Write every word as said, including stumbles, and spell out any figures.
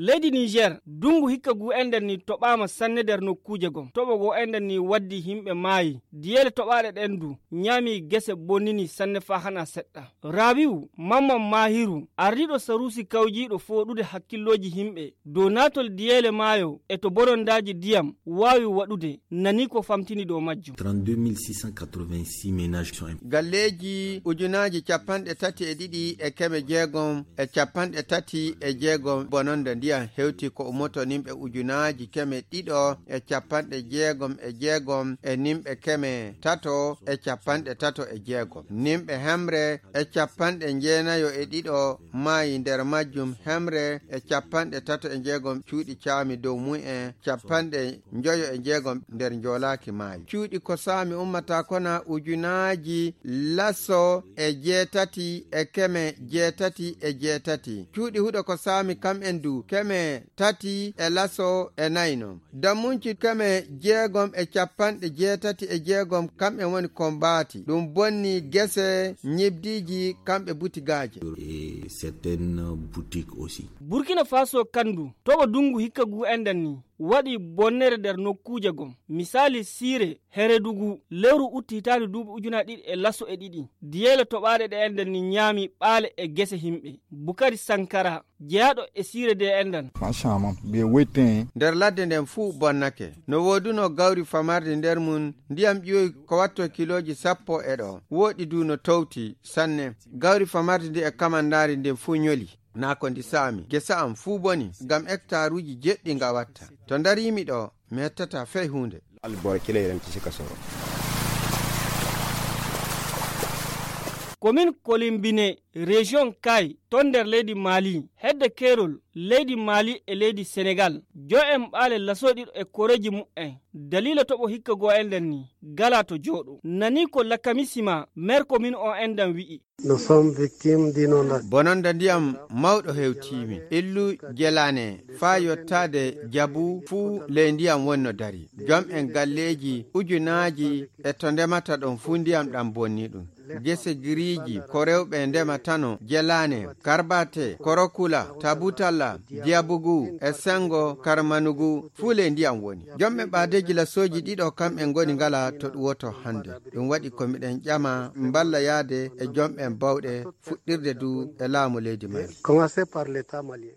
Leydi Niger, dungu hikka gu enden ni toɓaama sanne nder nokkuuje gom. Toɓo go enden ni waddi himɓe maayi. Diyeele toɓaaɗe ɗen du, ñaami gese bonnini sanne faa hana seɗɗa. Rabiu Mamman Mahiru, ardiiɗo saruusi kawjiiɗo fooɗude hakkillooji himɓe dow naatol diyeele maayo e to bonondaaji diyam waawi waɗude, nani ko famtini dow majjum. Trente-deux mille six cent quatre-vingt-six ménages sont im- Galleeji ujunaaji capanɗe tati e ɗiɗi e keme jeegom e capanɗe tati e jeegom bononda ndiyam hewti ko ummoto nimɓe ujunaaji keme ɗiɗo e capanɗe jeegom e jeegom e nimɓe keme tato e capanɗe tato e jeegom. Nimɓe hemre e capanɗe jeenayo e ɗiɗo maayi, nder majjum hemre e capanɗe tato e jeegom cuuɗi caami dow mum en, capanɗe njoyo e jeegom nder njoolaaki maayi. Cuuɗi ko saami ummata kona ujunaaji laso e jeetati e keme jeetati e jeetati. Cuuɗi huɗo ko saami kam en du keme tati e laso e nayno. Dammunci keme jeegom e capanɗe jeetati e jeegom kam en woni ko mbaati. Ɗum bonni gese, ñibdiiji, kamɓe butigaaje. Et certaines boutiques aussi. Burkina Faso kandu, toɓo dungu hikka gu enden ni, waɗi bonnere nder nokkuuje gom. Misaali siire Heredugu, lewru utti hitaande duuɓi ujunaaji ɗiɗi e laso e ɗiɗi. Diyeele toɓaaɗe ɗe enden ni ñaami ɓaale e gese himɓe. Bukari Sankara, jeyaaɗo e siire de enden. Franchement, ɓe wetten. Nder ladde nden fuu bonnake. No woodunoo gawri famardi nder mum, ndiyam ƴiwoy ko watto kilooji sappo e ɗo. Woɗɗi du no towti sanne. Gawri famardi ndi e kamandaari ndin fuu ñoli. Naa ko ndi saami. Gesa am fuu boni, ngam ektaaruuji jeɗɗi nga watta. To ndariimi ɗo, mi hettataa fey huunde. Albor kile iran ti sika soro. Komin Kolimbine, région Kay, ton nder leydi Mali, hedde keerol leydi Mali e leydi Senegal, jo en ɓaale lasooɗiɗo e koreeji mu'en, daliila toɓo hikka goo enden ni, gala to jooɗo. Nani ko Lakamisima, maire komin on endan wi'i. Nous sommes victimes d'inondations. Bononda ndiyam mawɗo hewtiimi. Illu Jelane faa yottaade Jabu fuu ley ndiyam wonno dari. Jom en galleeji ujunaaji e to ndemata ɗon fuu ndiyam ɗam bonni ɗum. Gese giriiji ko rewɓe ndematano Jelane, Karbate, Korokula, Tabutalla, Diabugu e Sengo Karmanugu fuu ley ndiyam woni. Jom ɓe ɓaadeeji lasooji ɗiɗo kam en ngoni ngala to ɗum woto hannde. Ɗum waɗi ko miɗen ƴama mballa yaade e jom ɓen bawɗe fuɗɗirde du e laamu leydi Mali. Commencez par l'État malien.